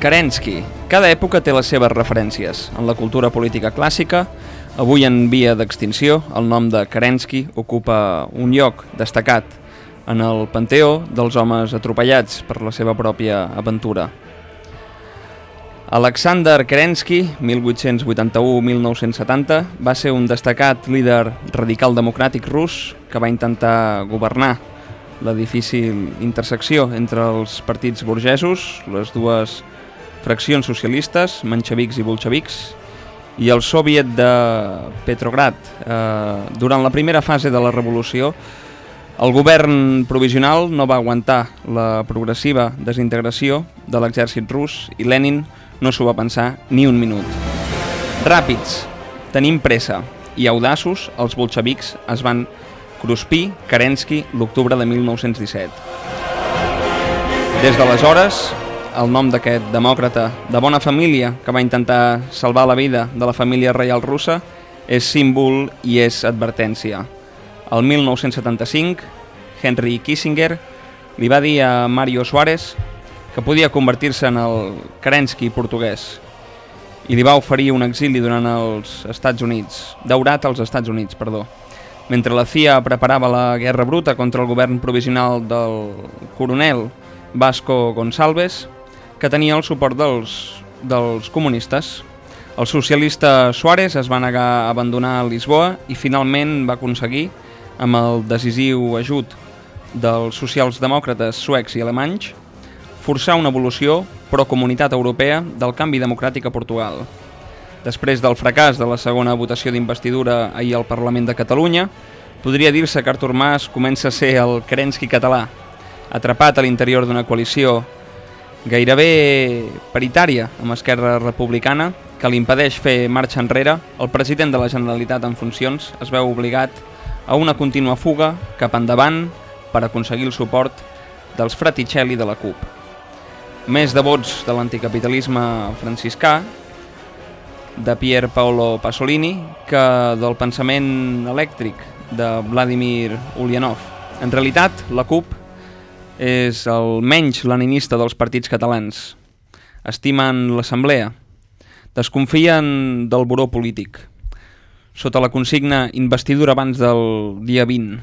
Kerensky. Cada època té les seves referències. En la cultura política clàssica, avui en via d'extinció, el nom de Kerensky ocupa un lloc destacat en el panteó dels homes atropellats per la seva pròpia aventura. Alexander Kerensky, 1881-1970, va ser un destacat líder radical democràtic rus que va intentar governar la difícil intersecció entre els partits burgesos, les dues fraccions socialistes, menxevics i bolxevics, i el soviet de Petrograd. Durant la primera fase de la revolució, el govern provisional no va aguantar la progressiva desintegració de l'exèrcit rus i Lenin no s'ho va pensar ni un minut. Ràpids, tenim pressa i audaços, els bolxevics es van cruspir Kerensky l'octubre de 1917. Des d'aleshores, el nom d'aquest demòcrata de bona família que va intentar salvar la vida de la família reial russa és símbol i és advertència. El 1975, Henry Kissinger li va dir a Mário Soares que podia convertir-se en el Kerensky portuguès i li va oferir un exili durant els Estats Units, daurat als Estats Units, Mentre la CIA preparava la guerra bruta contra el govern provisional del coronel Vasco Gonçalves, que tenia el suport dels comunistes. El socialista Suárez es va negar a abandonar Lisboa i finalment va aconseguir, amb el decisiu ajut dels socialdemòcrates suecs i alemanys, forçar una evolució pro-comunitat europea del canvi democràtic a Portugal. Després del fracàs de la segona votació d'investidura ahir al Parlament de Catalunya, podria dir-se que Artur Mas comença a ser el Kerensky català, atrapat a l'interior d'una coalició gairebé paritària amb Esquerra Republicana, que li impedeix fer marxa enrere. El president de la Generalitat en funcions es veu obligat a una contínua fuga cap endavant per aconseguir el suport dels Fraticelli de la CUP. Més devots de l'anticapitalisme franciscà, de Pier Paolo Pasolini, que del pensament elèctric de Vladimir Ulyanov. En realitat, la CUP és el menys leninista dels partits catalans. Estimen l'assemblea. Desconfien del buró polític. Sota la consigna investidura abans del dia 20.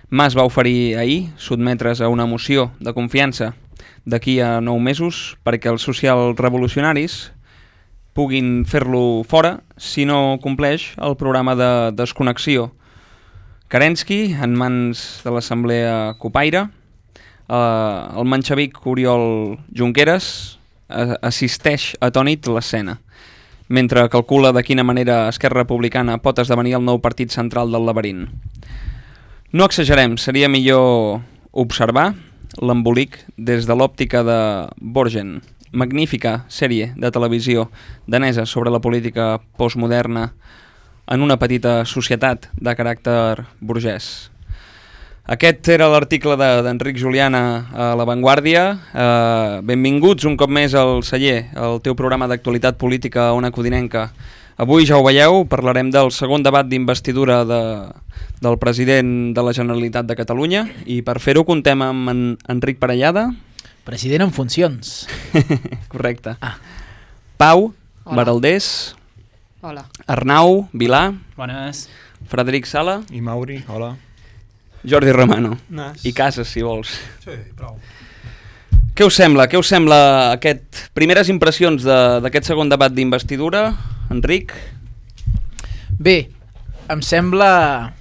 Mas va oferir ahir sotmetre's a una moció de confiança d'aquí a 9 mesos perquè els socialrevolucionaris puguin fer-lo fora si no compleix el programa de desconnexió. Kerensky, en mans de l'assemblea copaire, el menxevic Oriol Junqueras assisteix atònit l'escena, mentre calcula de quina manera Esquerra Republicana pot esdevenir el nou partit central del laberint. No exagerem, seria millor observar l'embolic des de l'òptica de Borgen, magnífica sèrie de televisió danesa sobre la política postmoderna en una petita societat de caràcter burgès. Aquest era l'article d'Enric Juliana a La Vanguardia. Benvinguts un cop més al Celler, el teu programa d'actualitat política a Ona Codinenca. Avui, ja ho veieu, parlarem del segon debat d'investidura del president de la Generalitat de Catalunya i per fer-ho contem amb Enric Parellada. President en funcions. Correcte. Pau Baraldés. Hola. Arnau Vilà. Bones. Frederic Sala. I Mauri, hola. Jordi Romano. Nas. I Casas, si vols. Sí, prou. Què us sembla? Què us sembla primeres impressions d'aquest segon debat d'investidura, Enric? Bé, em sembla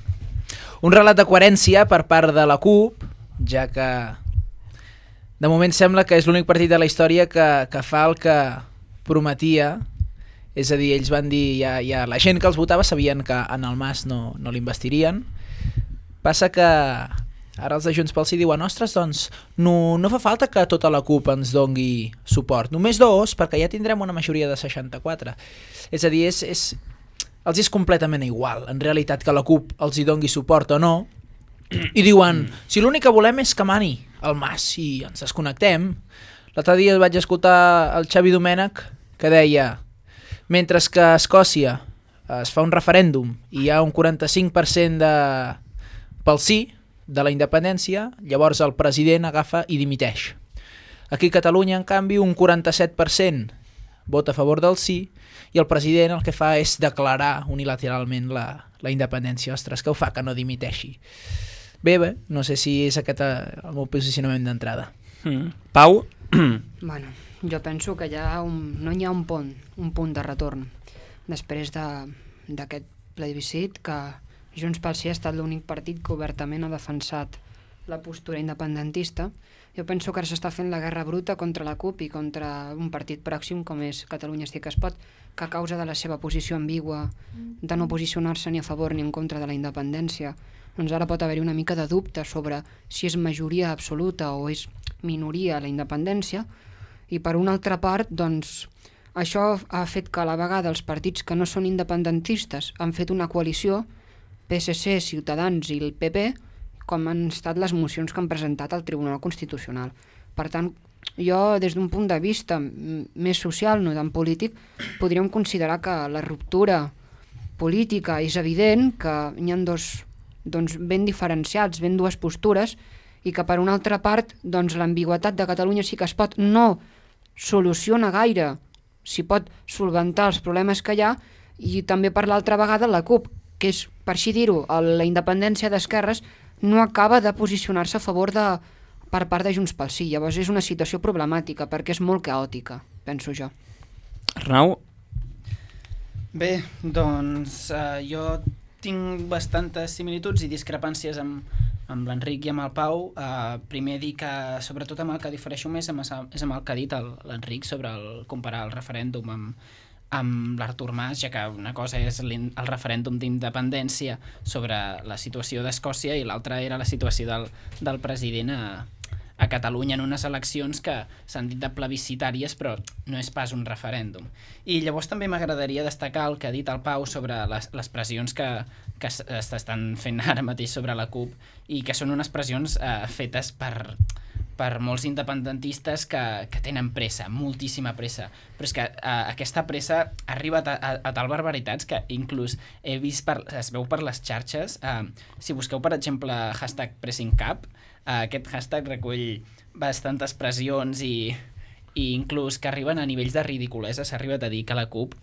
un relat de coherència per part de la CUP, ja que de moment sembla que és l'únic partit de la història que fa el que prometia. És a dir, ells van dir, ja la gent que els votava sabien que en el Mas no l'investirien. Passa que ara els de Junts pel Sí diuen, ostres, doncs no fa falta que tota la CUP ens dongui suport, només 2, perquè ja tindrem una majoria de 64. És a dir, els és completament igual, en realitat, que la CUP els hi dongui suport o no, i diuen, si l'únic que volem és que mani el Mas i ens desconnectem. L'altre dia vaig escoltar el Xavi Domènech que deia, mentre que a Escòcia es fa un referèndum i hi ha un 45% pel sí de la independència, llavors el president agafa i dimiteix. Aquí a Catalunya, en canvi, un 47% vota a favor del sí i el president el que fa és declarar unilateralment la independència. Ostres, que ho fa que no dimiteixi. Bé, no sé si és aquest el meu posicionament d'entrada. Pau? Bueno, jo penso que no hi ha un punt de retorn després d'aquest plebiscit, que Junts pel Sí ha estat l'únic partit que obertament ha defensat la postura independentista. Jo penso que ara s'està fent la guerra bruta contra la CUP i contra un partit pròxim com és Catalunya Sí que es pot, que a causa de la seva posició ambigua de no posicionar-se ni a favor ni en contra de la independència, doncs ara pot haver-hi una mica de dubte sobre si és majoria absoluta o és minoria la independència, i per una altra part, doncs, això ha fet que a la vegada els partits que no són independentistes han fet una coalició, PSC, Ciutadans i el PP, com han estat les mocions que han presentat al Tribunal Constitucional. Per tant, jo, des d'un punt de vista més social, no tan polític, podríem considerar que la ruptura política és evident, que hi ha dos ben diferenciats, ben dues postures, i que per una altra part l'ambigüitat de Catalunya Sí que es pot no soluciona gaire, si pot solventar els problemes que hi ha, i també per l'altra vegada la CUP, que és, per així dir-ho, la independència d'esquerres, no acaba de posicionar-se a favor per part de Junts pel Sí. Llavors és una situació problemàtica perquè és molt caòtica, penso jo. Arnau? Bé, doncs jo tinc bastantes similituds i discrepàncies amb l'Enric i amb el Pau. Primer dir que sobretot amb el que difereixo més és amb el que ha dit l'Enric sobre comparar el referèndum amb l'Artur Mas, ja que una cosa és el referèndum d'independència sobre la situació d'Escòcia i l'altra era la situació del president a Catalunya en unes eleccions que s'han dit de plebiscitàries però no és pas un referèndum. I llavors també m'agradaria destacar el que ha dit el Pau sobre les pressions que s'estan fent ara mateix sobre la CUP i que són unes pressions fetes per molts independentistes que tenen pressa, moltíssima pressa, però és que aquesta pressa ha arribat a tal barbaritats que inclús he vist, es veu per les xarxes, si busqueu per exemple #PressingCap, aquest hashtag recull bastantes pressions i inclús que arriben a nivells de ridiculesa. S'ha arribat a dir que a la CUP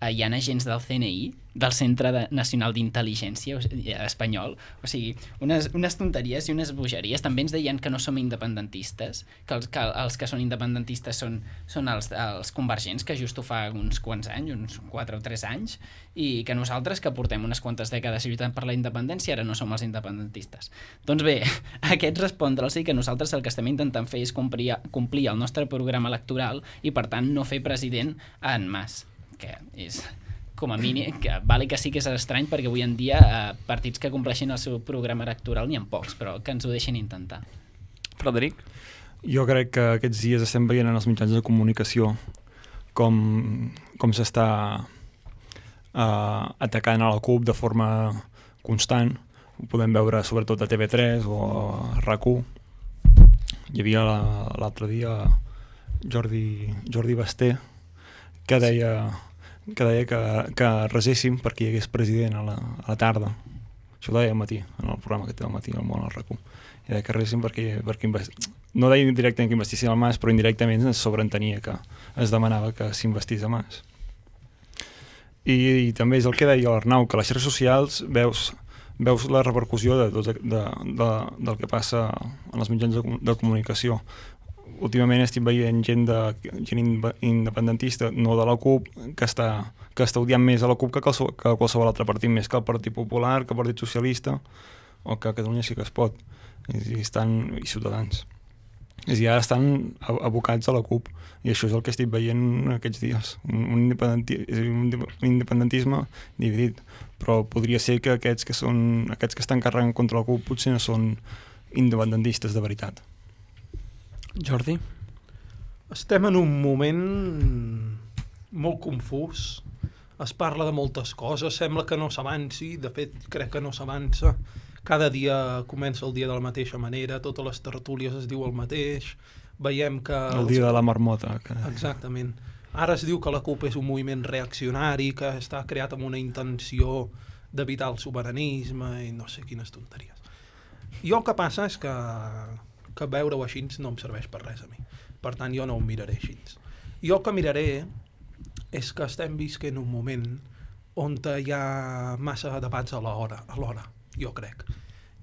hi ha agents del CNI, del Centre Nacional d'Intel·ligència espanyol, o sigui, unes tonteries i unes bogeries. També ens deien que no som independentistes, que els que són independentistes són els convergents, que just ho fa uns quants anys, uns 4 o 3 anys, i que nosaltres, que portem unes quantes dècades lluitant per la independència, ara no som els independentistes. Doncs bé, aquests respondre'ls i que nosaltres el que estem intentant fer és complir el nostre programa electoral i, per tant, no fer president en Mas, que és com a mínim, que vale que sí que és estrany perquè avui en dia partits que compleixin el seu programa electoral n'hi ha pocs, però que ens ho deixin intentar. Frederic? Jo crec que aquests dies estem veient en els mitjans de comunicació com s'està atacant a la CUP de forma constant. Ho podem veure sobretot a TV3 o a RAC1. Hi havia l'altre dia Jordi Basté que deia que reséssim perquè hi hagués president a la tarda. Això ho deia al matí, en el programa que té al matí al món al RAC1. I deia que reséssim perquè no deia directament que investissin el Mas, però indirectament es sobreentenia que es demanava que s'investís a Mas. I també és el que deia l'Arnau, que a les xarxes socials veus la repercussió del que passa en els mitjans de comunicació. Últimament estic veient gent independentista, no de la CUP, que està odiant més a la CUP que qualsevol altre partit, més que el Partit Popular, que el Partit Socialista o que Catalunya Sí que es pot, i Ciutadans. I ara estan abocats a la CUP, i això és el que estic veient aquests dies, un independentisme dividit, però podria ser que aquests que estan carregant contra la CUP potser no són independentistes de veritat. Jordi? Estem en un moment molt confús. Es parla de moltes coses, sembla que no s'avanci, de fet crec que no s'avança. Cada dia comença el dia de la mateixa manera, totes les tertúlies es diu el mateix, veiem que... El dia de la marmota. Exactament. Ara es diu que la CUP és un moviment reaccionari, que està creat amb una intenció d'evitar el sobiranisme i no sé quines tonteries. I el que passa és que que veure-ho així no em serveix per res a mi. Per tant, jo no ho miraré així. Jo el que miraré és que estem visquent un moment on hi ha massa debats alhora, jo crec.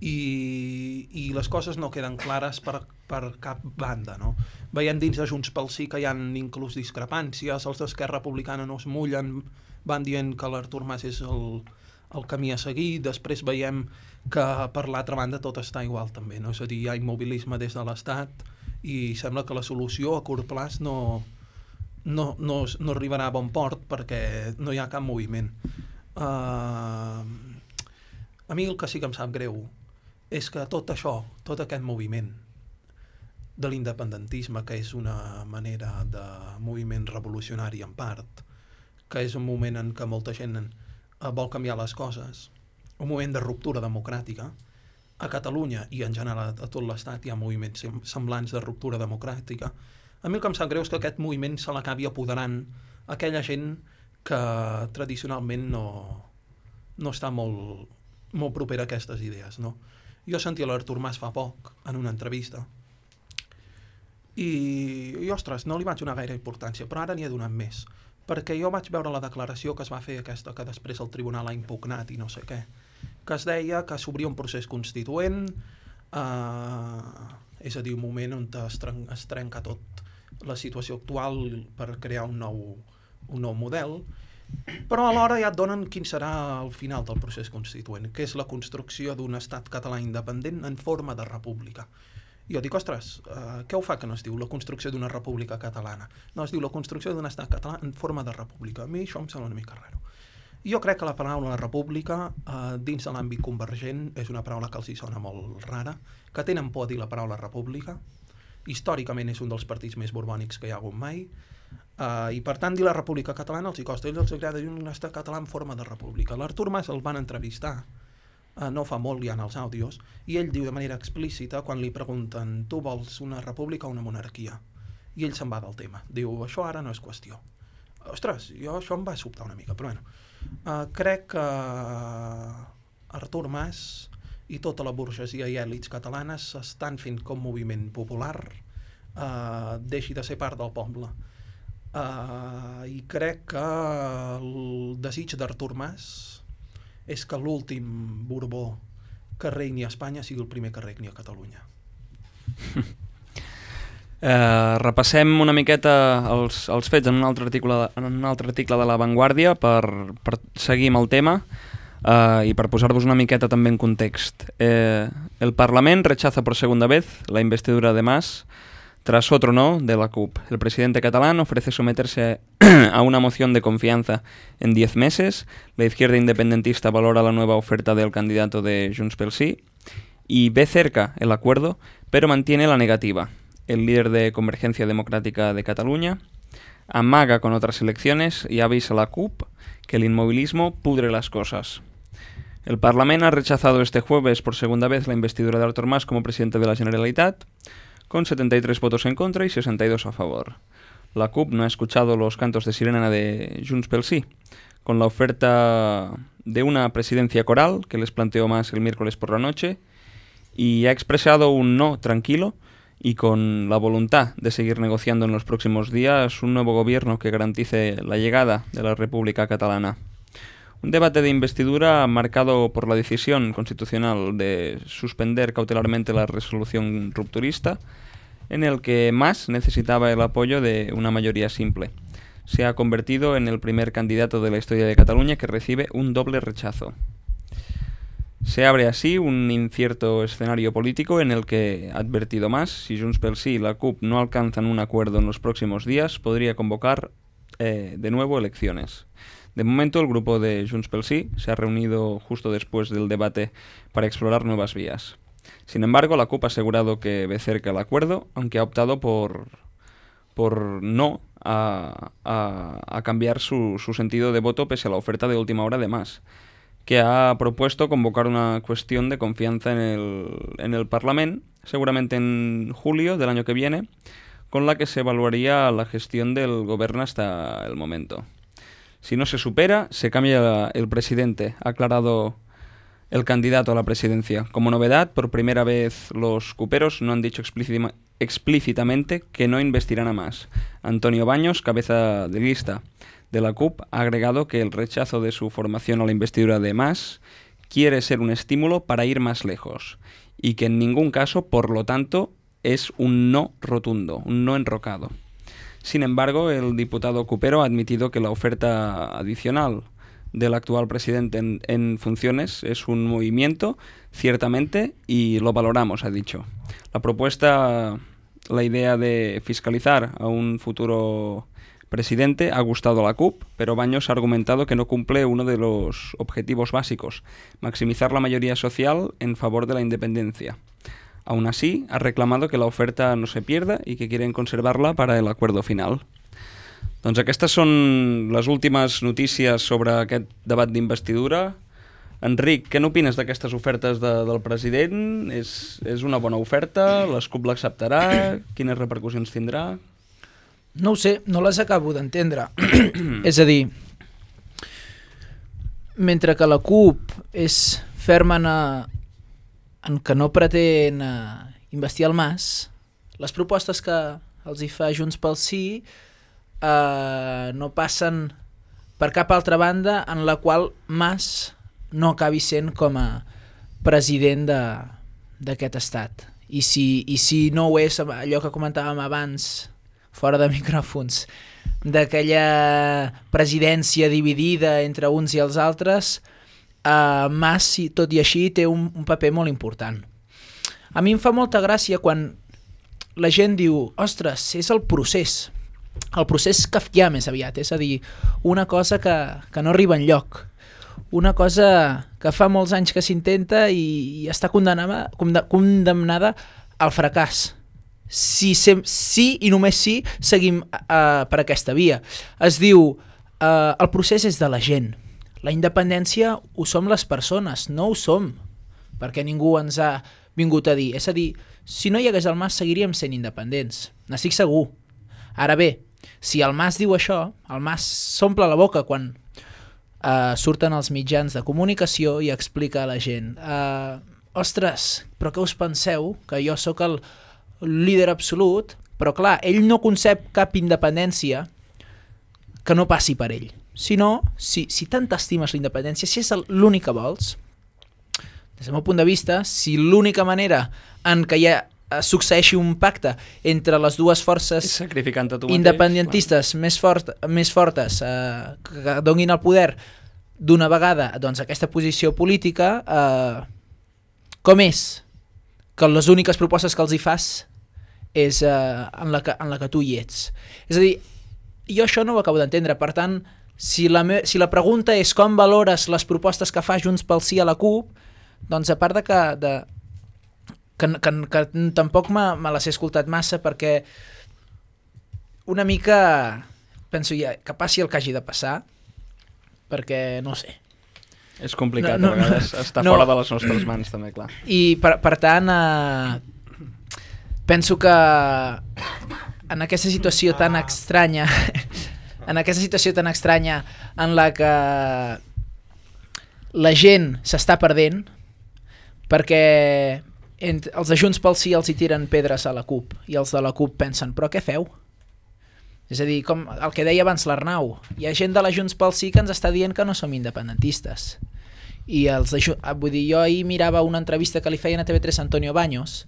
I les coses no queden clares per cap banda, no? Veiem dins de Junts pel Sí que hi ha inclús discrepàncies, els d'Esquerra Republicana no es mullen, van dient que l'Artur Mas és el camí a seguir, després veiem que per l'altra banda tot està igual també, no? És a dir, hi ha immobilisme des de l'Estat i sembla que la solució a curt plaç no arribarà a bon port perquè no hi ha cap moviment. A mi el que sí que em sap greu és que tot això, tot aquest moviment de l'independentisme, que és una manera de moviment revolucionari en part, que és un moment en què molta gent vol canviar les coses, un moment de ruptura democràtica, a Catalunya i en general a tot l'Estat hi ha moviments semblants de ruptura democràtica. A mi el que em sap greu és que aquest moviment se l'acabi apoderant aquella gent que tradicionalment no està molt propera a aquestes idees, no? Jo sentia l'Artur Mas fa poc en una entrevista i ostres, no li vaig donar gaire importància, però ara n'hi he donat més, perquè jo vaig veure la declaració que es va fer aquesta que després el tribunal ha impugnat i no sé què, que es deia que s'obria un procés constituent, és a dir, un moment on es trenca tot la situació actual per crear un nou model, però alhora ja et donen quin serà el final del procés constituent, que és la construcció d'un estat català independent en forma de república. I jo dic, ostres, què ho fa que no es diu la construcció d'una república catalana? No, es diu la construcció d'un estat català en forma de república. A mi això em sembla una mica raro. Jo crec que la paraula república, dins de l'àmbit convergent, és una paraula que els hi sona molt rara, que tenen por a dir la paraula república. Històricament és un dels partits més borbònics que hi ha hagut mai, i per tant dir la república catalana els hi costa. A ells els agrada dir un estat català en forma de república. L'Artur Mas el van entrevistar no fa molt, hi ha els àudios, i ell diu de manera explícita quan li pregunten tu vols una república o una monarquia, i ell se'n va del tema, diu això ara no és qüestió. Ostres, això em va sobtar una mica, però bueno, crec que Artur Mas i tota la burgesia i èlits catalanes estan fent com moviment popular deixi de ser part del poble. I crec que el desig d'Artur Mas és que l'últim Borbó que regni a Espanya sigui el primer que regni a Catalunya. Repassem una miqueta els fets en un altre article de La Vanguardia per seguir amb el tema y per posar-vos una miqueta també en context. El Parlament rechaza por segunda vez la investidura de Mas tras otro no de la CUP. El presidente catalán ofrece someterse a una moción de confianza en 10 meses. La izquierda independentista valora la nueva oferta del candidato de Junts pel Sí y ve cerca el acuerdo, pero mantiene la negativa. El líder de Convergencia Democrática de Cataluña amaga con otras elecciones y avisa a la CUP que el inmovilismo pudre las cosas. El Parlament ha rechazado este jueves por segunda vez la investidura de Artur Mas como presidente de la Generalitat, con 73 votos en contra y 62 a favor. La CUP no ha escuchado los cantos de sirena de Junts pel Sí, con la oferta de una presidencia coral que les planteó Mas el miércoles por la noche, y ha expresado un no tranquilo y con la voluntad de seguir negociando en los próximos días un nuevo gobierno que garantice la llegada de la República Catalana. Un debate de investidura marcado por la decisión constitucional de suspender cautelarmente la resolución rupturista, en el que Mas necesitaba el apoyo de una mayoría simple. Se ha convertido en el primer candidato de la historia de Cataluña que recibe un doble rechazo. Se abre así un incierto escenario político en el que, ha advertido Mas, si Junts pel Sí y la CUP no alcanzan un acuerdo en los próximos días, podría convocar de nuevo elecciones. De momento, el grupo de Junts pel Sí se ha reunido justo después del debate para explorar nuevas vías. Sin embargo, la CUP ha asegurado que ve cerca el acuerdo, aunque ha optado por no a cambiar su sentido de voto pese a la oferta de última hora de Mas, que ha propuesto convocar una cuestión de confianza en el Parlament, seguramente en julio del año que viene, con la que se evaluaría la gestión del gobierno hasta el momento. Si no se supera, se cambia el presidente, ha aclarado el candidato a la presidencia. Como novedad, por primera vez los cuperos no han dicho explícitamente que no investirán a Mas. Antonio Baños, cabeza de lista de la CUP, ha agregado que el rechazo de su formación a la investidura de Mas quiere ser un estímulo para ir más lejos y que en ningún caso, por lo tanto, es un no rotundo, un no enrocado. Sin embargo, el diputado cupero ha admitido que la oferta adicional del actual presidente en funciones es un movimiento, ciertamente, y lo valoramos, ha dicho. La propuesta, la idea de fiscalizar a un futuro presidente ha gustado a la CUP, pero Baños ha argumentado que no cumple uno de los objetivos básicos, maximizar la mayoría social en favor de la independencia. Aún así, ha reclamado que la oferta no se pierda i que quieren conservarla para el acuerdo final. Doncs aquestes són les últimes notícies sobre aquest debat d'investidura. Enric, què n'opines d'aquestes ofertes del president? És una bona oferta? L'ESCUP l'acceptarà? Quines repercussions tindrà? No ho sé, no les acabo d'entendre. És a dir, mentre que la CUP és ferma en que no pretén investir el Mas, les propostes que els hi fa Junts pel Sí no passen per cap altra banda en la qual Mas no acabi sent com a president d'aquest estat. I si no ho és, allò que comentàvem abans, fora de micròfons, d'aquella presidència dividida entre uns i els altres, Mas, tot i així, té un paper molt important. A mi em fa molta gràcia quan la gent diu, ostres, és el procés kafkià més aviat, és a dir, una cosa que no arriba enlloc, una cosa que fa molts anys que s'intenta i està condemnada al fracàs. Si i només si seguim per aquesta via. Es diu, el procés és de la gent, la independència ho som les persones, no ho som perquè ningú ens ha vingut a dir. És a dir, si no hi hagués el Mas seguiríem sent independents, n'estic segur. Ara bé, si el Mas diu això, el Mas s'omple la boca quan surten els mitjans de comunicació i explica a la gent ostres, però què us penseu? Que jo sóc el líder absolut, però clar, ell no concep cap independència que no passi per ell. Si no, si tant t'estimes la independència, si és l'únic que vols, des del meu punt de vista, si l'única manera en què succeeixi un pacte entre les dues forces independentistes més fortes que donin el poder d'una vegada doncs, aquesta posició política, com és que les úniques propostes que els hi fas és en la que tu hi ets. És a dir, jo això no ho acabo d'entendre. Per tant, si la pregunta és com valores les propostes que fa Junts pel Sí a la CUP, doncs a part de que tampoc me les he escoltat massa, perquè una mica penso ja que passi el que hagi de passar, perquè no sé. És complicat, a vegades està fora de les nostres mans també, clar. I per tant penso que en aquesta situació tan estranya en la que la gent s'està perdent perquè els de Junts pel Sí els hi tiren pedres a la CUP i els de la CUP pensen, però què feu? És a dir, com el que deia abans l'Arnau, hi ha gent de la Junts pel Sí que ens està dient que no som independentistes. I vull dir, jo ahir mirava una entrevista que li feien a TV3 a Antonio Baños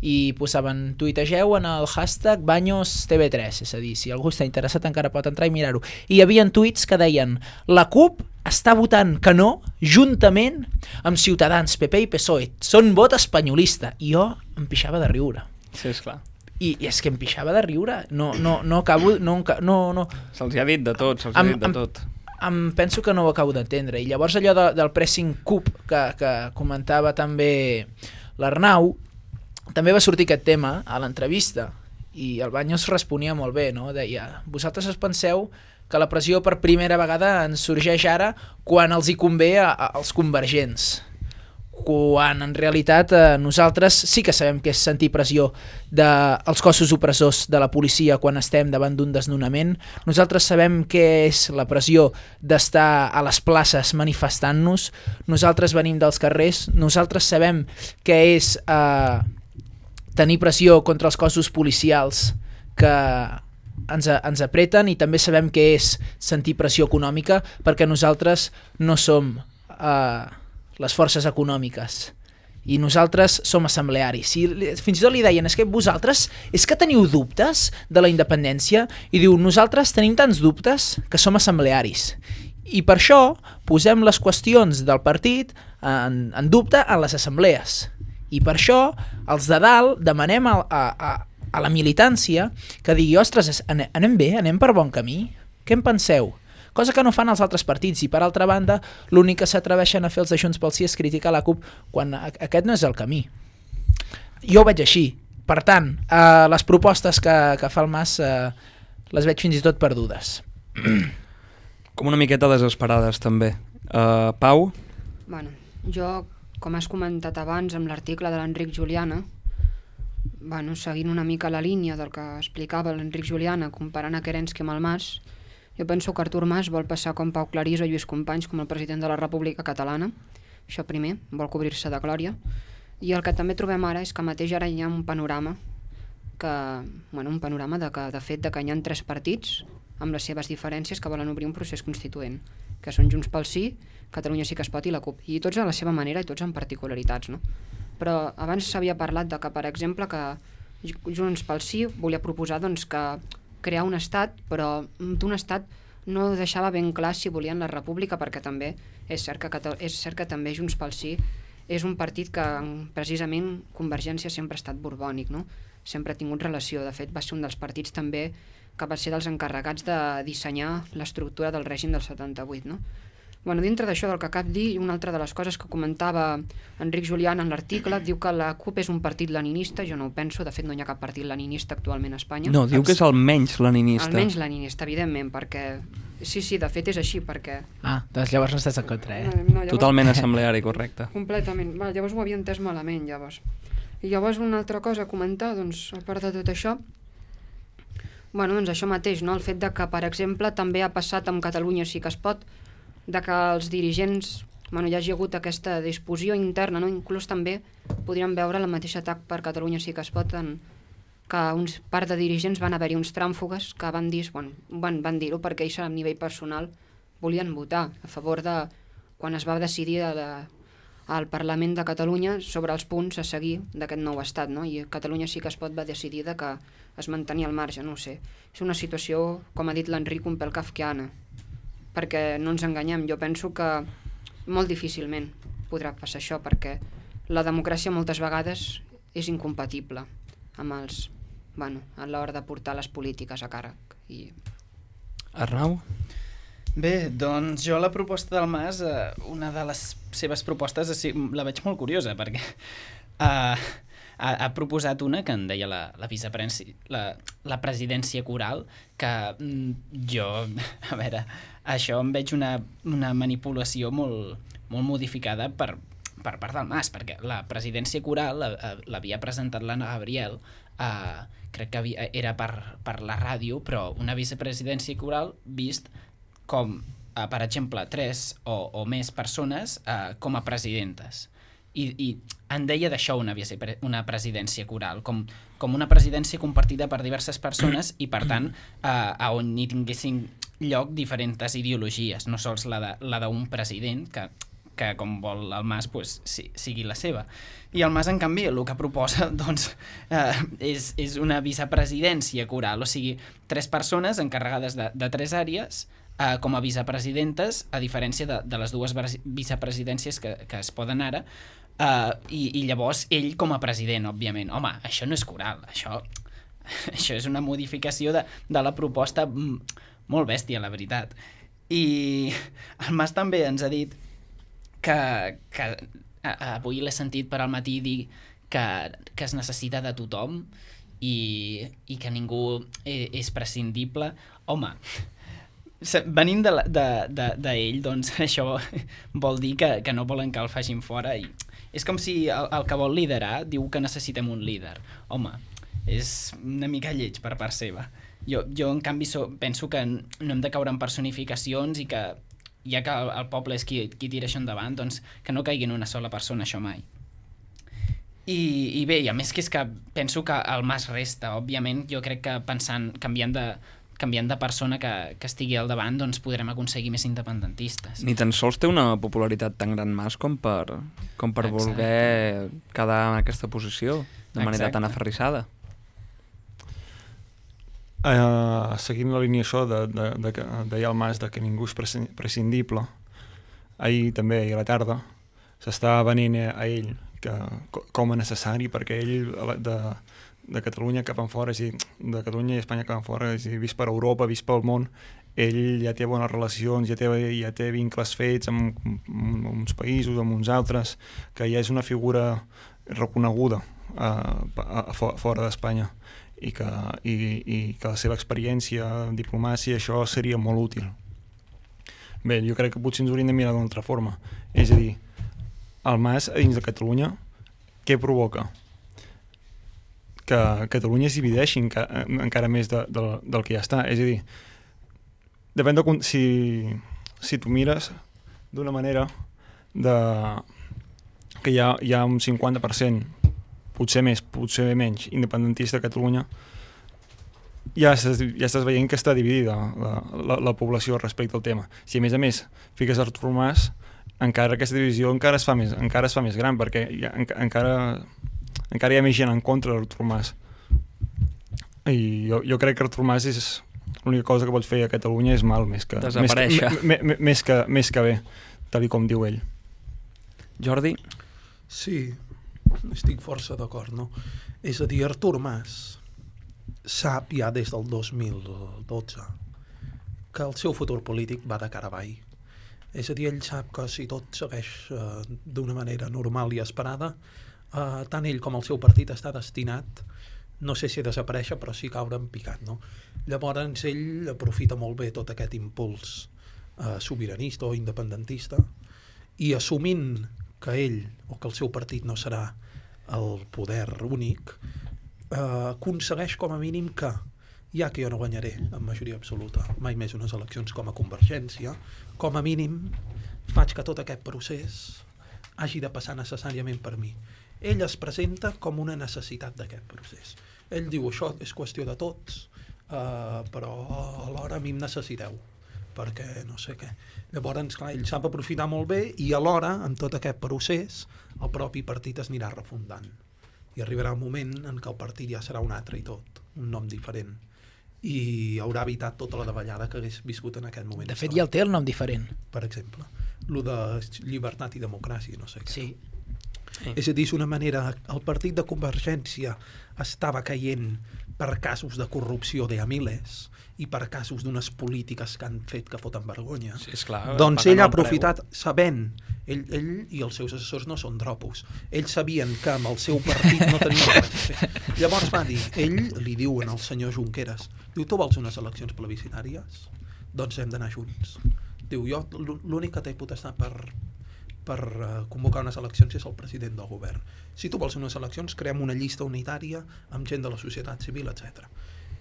i posaven, tuitegeu en el hashtag Baños TV3, és a dir, si algú està interessat encara pot entrar i mirar-ho. I hi havia tuits que deien, la CUP està votant que no juntament amb Ciutadans, PP i PSOE, són vot espanyolista, i jo em pixava de riure. Sí, esclar. I és que em pixava de riure, no acabo, no. Se'ls ha dit de tot, Penso que no ho acabo d'entendre, i llavors allò del pressing CUP que comentava també l'Arnau, també va sortir aquest tema a l'entrevista i el Baños responia molt bé, no? Deia, vosaltres us penseu que la pressió per primera vegada ens sorgeix ara quan els hi convé als convergents, quan en realitat nosaltres sí que sabem què és sentir pressió dels cossos opressors de la policia quan estem davant d'un desnonament, nosaltres sabem què és la pressió d'estar a les places manifestant-nos, nosaltres venim dels carrers, nosaltres sabem què és tenir pressió contra els cossos policials que ens apreten, i també sabem què és sentir pressió econòmica, perquè nosaltres no som les forces econòmiques i nosaltres som assemblearis. I fins i tot li deien, és que vosaltres és que teniu dubtes de la independència, i diu, nosaltres tenim tants dubtes que som assemblearis, i per això posem les qüestions del partit en dubte en les assemblees, i per això els de dalt demanem a la militància que digui, ostres, anem bé, anem per bon camí, què en penseu? Cosa que no fan els altres partits, i per altra banda l'únic que s'atreveixen a fer els de Junts pel Sí és criticar la CUP quan aquest no és el camí. Jo ho veig així. Per tant, les propostes que fa el Mas les veig fins i tot perdudes. Com una miqueta desesperades també. Pau? Bueno, jo, com has comentat abans amb l'article de l'Enric Juliana, seguint una mica la línia del que explicava l'Enric Juliana comparant a Kerensky amb el Mas, jo penso que Artur Mas vol passar com Pau Claris o Lluís Companys com el president de la República Catalana. Això primer, vol cobrir-se de glòria. I el que també trobem ara és que mateix ara hi ha un panorama de fet que hi ha 3 partits amb les seves diferències que volen obrir un procés constituent, que són Junts pel Sí, Catalunya Sí que es pot i la CUP, i tots a la seva manera i tots amb particularitats, no? Però abans s'havia parlat de que, per exemple, que Junts pel Sí volia proposar que crear un estat, però d'un estat no deixava ben clar si volien la república, perquè també és cert que també Junts pel Sí és un partit que precisament Convergència sempre ha estat borbònic, no? Sempre ha tingut relació, de fet va ser un dels partits també que va ser dels encarregats de dissenyar l'estructura del règim del 78, no? Dintre d'això del que acabo de dir, una altra de les coses que comentava Enric Julián en l'article, diu que la CUP és un partit leninista. Jo no ho penso, de fet no hi ha cap partit leninista actualment a Espanya. No, diu que és el menys leninista. El menys leninista, evidentment, perquè... Sí, de fet és així, perquè... Doncs llavors no estàs en contra, No, llavors... Totalment assembleari, correcte. Completament. Llavors ho havia entès malament, llavors. I llavors una altra cosa a comentar, a part de tot això, això mateix, no? El fet de que, per exemple, també ha passat amb Catalunya Sí que es pot, de que els dirigents, ja hi ha hagut aquesta discussió interna, no? Inclús també podríem veure el mateix atac per Catalunya Sí que es pot, que uns part de dirigents van haver-hi uns tràmfugues que van van dir-ho perquè ells a nivell personal volien votar a favor de quan es va decidir al Parlament de Catalunya sobre els punts a seguir d'aquest nou estat, no? I Catalunya Sí que es pot va decidir que es mantenia al marge, no ho sé. És una situació, com ha dit l'Enric, un pèl kafkiana, perquè no ens enganyem, jo penso que molt difícilment podrà passar això, perquè la democràcia moltes vegades és incompatible amb els, a l'hora de portar les polítiques a càrrec. Arnau? Bé, doncs jo la proposta del Mas, una de les seves propostes la veig molt curiosa, perquè ha proposat una que en deia la presidència coral, que jo, a veure, això em veig una manipulació molt modificada per part del Mas, perquè la presidència coral l'havia presentat l'Anna Gabriel, crec que era per la ràdio, però una vicepresidència coral vist com, per exemple, 3 o més persones com a presidentes. I en deia d'això una presidència coral, com una presidència compartida per diverses persones i, per tant, on hi tinguessin lloc diferents ideologies, no sols la d'un president, que com vol el Mas sigui la seva. I el Mas, en canvi, el que proposa és una vicepresidència coral, o sigui, 3 persones encarregades de 3 àrees com a vicepresidentes, a diferència de les 2 vicepresidències que es poden ara, i llavors ell com a president, òbviament. Home, això no és coral, això és una modificació de la proposta molt bèstia, la veritat. I el Mas també ens ha dit que avui l'he sentit per al matí dir que es necessita de tothom i que ningú és prescindible. Home, venint d'ell, doncs això vol dir que no volen que el facin fora, i És com si el que vol liderar diu que necessitem un líder. Home, és una mica lleig per part seva. Jo en canvi, penso que no hem de caure en personificacions i que, ja que el poble és qui tira això endavant, doncs que no caigui en una sola persona això mai. I bé, i a més que és que penso que el Mas resta, òbviament, jo crec que canviant de persona que estigui al davant, doncs podrem aconseguir més independentistes. Ni tan sols té una popularitat tan gran Mas com per voler quedar en aquesta posició de manera tan aferrissada. Seguint la línia això de que deia el Mas de que ningú és prescindible, ahir també, a la tarda, s'està venint a ell com a necessari, perquè ell de Catalunya cap enfora, és a dir, de Catalunya i Espanya cap enfora, és a dir, vist per Europa, vist pel món, ell ja té bones relacions, ja té vincles fets amb uns països, amb uns altres, que ja és una figura reconeguda fora d'Espanya i que la seva experiència en diplomàcia, això seria molt útil. Bé, jo crec que potser ens hauríem de mirar d'una altra forma, és a dir, el Mas a dins de Catalunya, què provoca? Que Catalunya es divideixi encara més del que ja està. És a dir, depèn de si tu mires d'una manera que hi ha un 50%, potser més, potser menys, independentista a Catalunya, ja estàs veient que està dividida la població respecte al tema. Si a més fiques Artur Mas, encara aquesta divisió encara es fa més gran, perquè encara hi ha més gent en contra d'Artur Mas. I jo crec que Artur Mas és l'única cosa que pot fer a Catalunya és mal, més que bé, tal com diu ell. Jordi? Sí, estic força d'acord, no? És a dir, Artur Mas sap ja des del 2012 que el seu futur polític va de cara avall. És a dir, ell sap que si tot segueix d'una manera normal i esperada, tant ell com el seu partit està destinat, no sé si a desaparèixer, però sí caure en picat, no? Llavors ell aprofita molt bé tot aquest impuls sobiranista o independentista i assumint que ell o que el seu partit no serà el poder únic, aconsegueix com a mínim que, ja que jo no guanyaré en majoria absoluta mai més unes eleccions com a Convergència, com a mínim faig que tot aquest procés hagi de passar necessàriament per mi. Ell es presenta com una necessitat d'aquest procés. Ell diu, això és qüestió de tots, però alhora a mi em necessiteu, perquè no sé què. Llavors, clar, ell sap aprofitar molt bé i alhora, en tot aquest procés, el propi partit es anirà refundant. I arribarà un moment en què el partit ja serà un altre i tot, un nom diferent. I haurà evitat tota la davallada que hagués viscut en aquest moment. De fet, ja el té el nom diferent. Per exemple, lo de llibertat i democràcia, no sé què. Sí. És a dir, és una manera... El partit de Convergència estava caient per casos de corrupció de a miles i per casos d'unes polítiques que han fet que foten vergonya. Sí, esclar, doncs ell ha aprofitat, sabent, ell i els seus assessors no són dropos, ells sabien que amb el seu partit no tenien res a fer. Llavors va dir, ell li diu al senyor Junqueras, diu, tu vols unes eleccions plebiscitàries? Doncs hem d'anar junts. Diu, jo l'únic que té potestat per convocar unes eleccions és el president del govern. Si tu vols unes eleccions, creem una llista unitària amb gent de la societat civil, etc.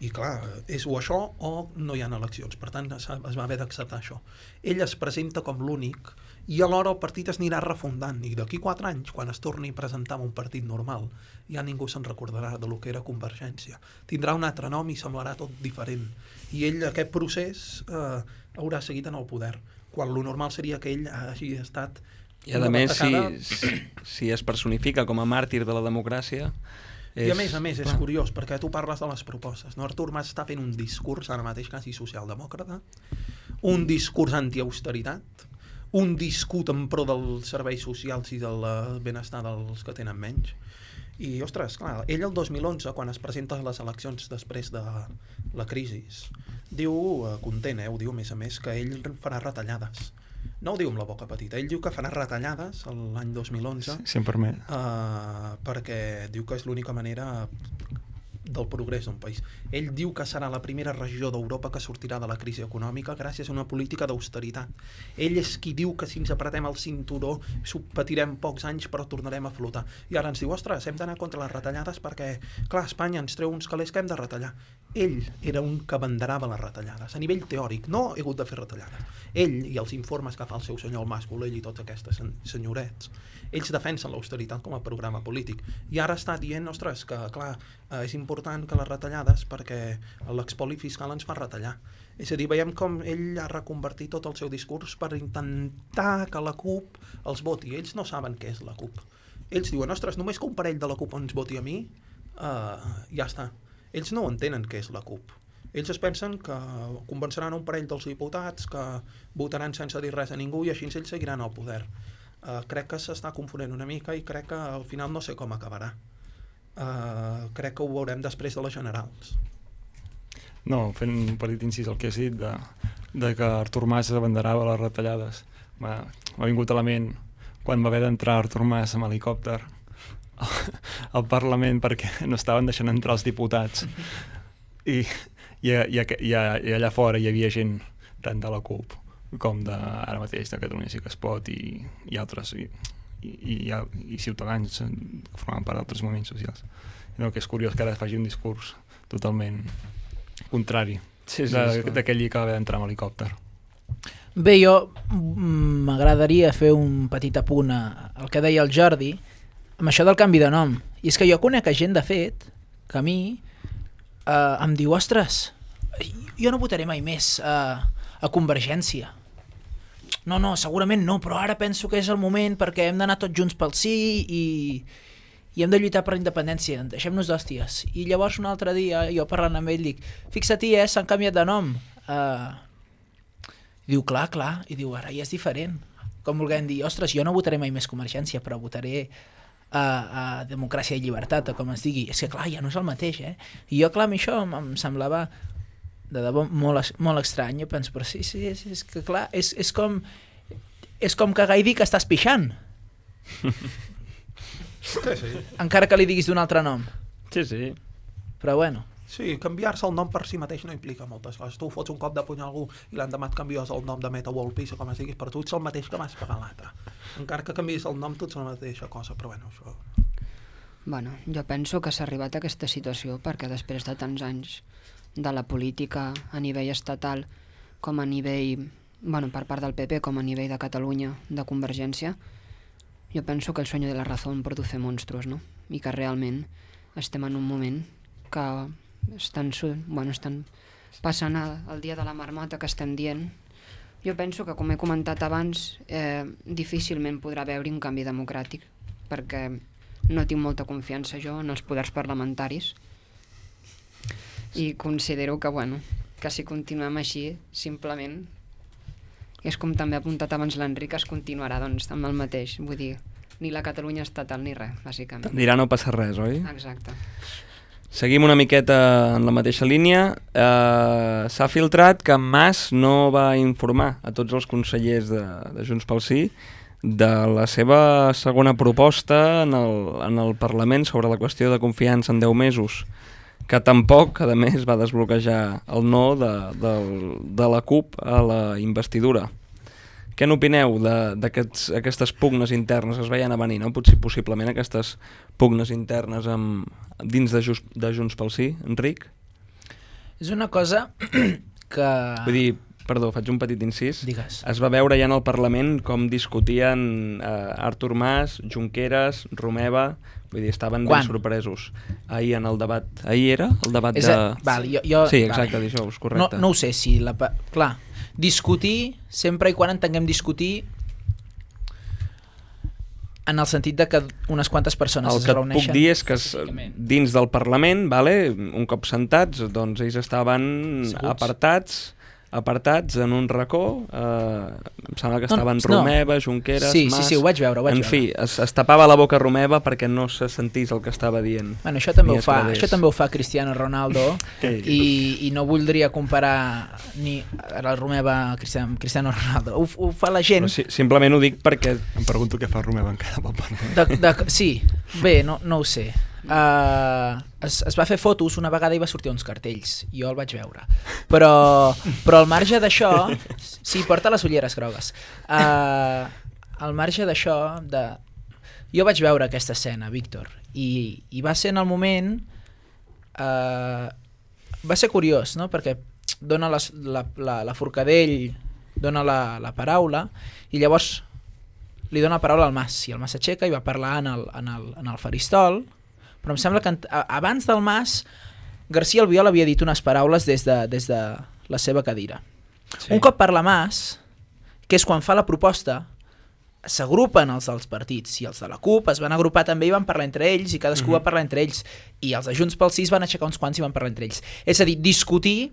I clar, és o això o no hi ha eleccions. Per tant, es va haver d'acceptar això. Ell es presenta com l'únic i alhora el partit es anirà refundant i d'aquí 4 anys, quan es torni a presentar un partit normal, ja ningú se'n recordarà de lo que era Convergència. Tindrà un altre nom i semblarà tot diferent. I ell, aquest procés, haurà seguit en el poder, quan lo normal seria que ell hagi estat... I a més, si es personifica com a màrtir de la democràcia... I a més, és curiós, perquè tu parles de les propostes, no? Artur Mas està fent un discurs, ara mateix quasi socialdemòcrata, un discurs anti-austeritat, un discurs en pro dels serveis socials i del benestar dels que tenen menys. I, ostres, clar, ell el 2011, quan es presenta a les eleccions després de la crisi, diu, content, ho diu a més, que ell farà retallades. No ho diu amb la boca petita, ell diu que farà retallades l'any 2011 si em permet. perquè diu que és l'única manera del progrés d'un país. Ell diu que serà la primera regió d'Europa que sortirà de la crisi econòmica gràcies a una política d'austeritat. Ell és qui diu que si ens apretem el cinturó patirem pocs anys però tornarem a flotar. I ara ens diu, ostres, hem d'anar contra les retallades perquè, clar, Espanya ens treu uns calés que hem de retallar. Ell era un que abanderava les retallades. A nivell teòric, no he hagut de fer retallades. Ell i els informes que fa el seu senyor el Mas Colell i tots aquests senyorets, ells defensen l'austeritat com a programa polític. I ara està dient, ostres, que clar, és important que les retallades perquè l'expoli fiscal ens fa retallar. És a dir, veiem com ell ha reconvertit tot el seu discurs per intentar que la CUP els voti. Ells no saben què és la CUP. Ells diuen, ostres, només que un parell de la CUP ens voti a mi, ja està. Ells no entenen què és la CUP. Ells es pensen que convenceran un parell dels diputats que votaran sense dir res a ningú i així ells seguiran al poder. Crec que s'està confonent una mica i crec que al final no sé com acabarà. Crec que ho veurem després de les generals. No, fent un petit incís al que has dit de que Artur Mas abanderava les retallades. M'ha vingut a la ment quan va haver d'entrar Artur Mas amb helicòpter al Parlament perquè no estaven deixant entrar els diputats i allà fora hi havia gent tant de la CUP com ara mateix de Catalunya Sí que es pot i altres i ciutadans que formaven part d'altres moviments socials. No, que és curiós que ara faci un discurs totalment contrari d'aquell que va haver d'entrar amb helicòpter. Bé, jo m'agradaria fer un petit apunt al que deia el Jordi amb això del canvi de nom. I és que jo conec gent, de fet, que a mi em diu, ostres, jo no votaré mai més a Convergència. No, segurament no, però ara penso que és el moment perquè hem d'anar tots junts pel sí i hem de lluitar per la independència, deixem-nos d'hòsties. I llavors un altre dia, jo parlant amb ell, dic, fixa-t'hi, s'han canviat de nom. I diu, clar, i diu, ara ja és diferent. Com volguem dir, ostres, jo no votaré mai més Convergència, però votaré a Democràcia i Llibertat, o com es digui. És que clar, ja no és el mateix, I jo, clar, a mi això em semblava de debò molt estrany. Jo penso, però sí, és que clar, és com que Gai dir que estàs pixant. Sí. Encara que li diguis d'un altre nom. Sí. Però bueno. Sí, canviar-se el nom per si mateix no implica moltes coses. Tu fots un cop de puny a algú i l'endemà et canvies el nom de Meta World Peace o com es diguis, per tu ets el mateix que vas pagar l'altre. Encara que canvies el nom, tu ets la mateixa cosa, però bueno, això... Bueno, jo penso que s'ha arribat a aquesta situació perquè després de tants anys de la política a nivell estatal com a nivell, per part del PP com a nivell de Catalunya, de Convergència, jo penso que el sueño de la razón produce monstruos, no? I que realment estem en un moment que estan passant el dia de la marmota que estem dient. Jo penso que, com he comentat abans, difícilment podrà haver-hi un canvi democràtic perquè no tinc molta confiança jo en els poders parlamentaris i considero que si continuem així, simplement, és com també ha apuntat abans l'Enric, es continuarà amb el mateix, vull dir, ni la Catalunya estatal ni res, bàsicament. Te'n dirà no passa res, oi? Exacte. Seguim una miqueta en la mateixa línia. S'ha filtrat que Mas no va informar a tots els consellers de Junts pel Sí de la seva segona proposta en el Parlament sobre la qüestió de confiança en 10 mesos, que tampoc, a més, va desbloquejar el no de la CUP a la investidura. Què n'opineu d'aquestes pugnes internes? Es veien a venir, no? Possiblement aquestes pugnes internes dins de Junts pel Sí, Enric? És una cosa que... Vull dir, perdó, faig un petit incís. Digues. Es va veure ja en el Parlament com discutien Artur Mas, Junqueras, Romeva, vull dir, estaven ben sorpresos. Ahir en el debat... Ahir era el debat de... Sí, exacte, dijous, correcte. No ho sé, si... Clar, discutir, sempre i quan entenguem discutir en el sentit de que unes quantes persones es reuneixen. El que et puc dir és que dins del Parlament, un cop sentats, doncs ells estaven apartats en un racó, em sembla que estaven Romeva, Junqueras, Mas... Sí, ho vaig veure. En fi, es tapava la boca Romeva perquè no se sentís el que estava dient. Bueno, això també ho fa Cristiano Ronaldo i no voldria comparar ni la Romeva a Cristiano Ronaldo. Ho fa la gent... Simplement ho dic perquè... Em pregunto què fa Romeva encara pel Parlament. Sí, bé, no ho sé. es va fer fotos una vegada i va sortir uns cartells, jo el vaig veure, però al marge d'això, sí, porta les ulleres grogues, al marge d'això, jo vaig veure aquesta escena, Víctor, i va ser en el moment, va ser curiós, no? Perquè dona la Forcadell dona la paraula i llavors li dona la paraula al Mas i el Mas s'aixeca i va parlar en el faristol, però em sembla que abans del Mas García Albiol havia dit unes paraules des de la seva cadira. Sí. Un cop parla Mas, que és quan fa la proposta, s'agrupen els dels partits i els de la CUP es van agrupar també i van parlar entre ells i cadascú va parlar entre ells i els de Junts pel Sí van aixecar uns quants i van parlar entre ells. És a dir, discutir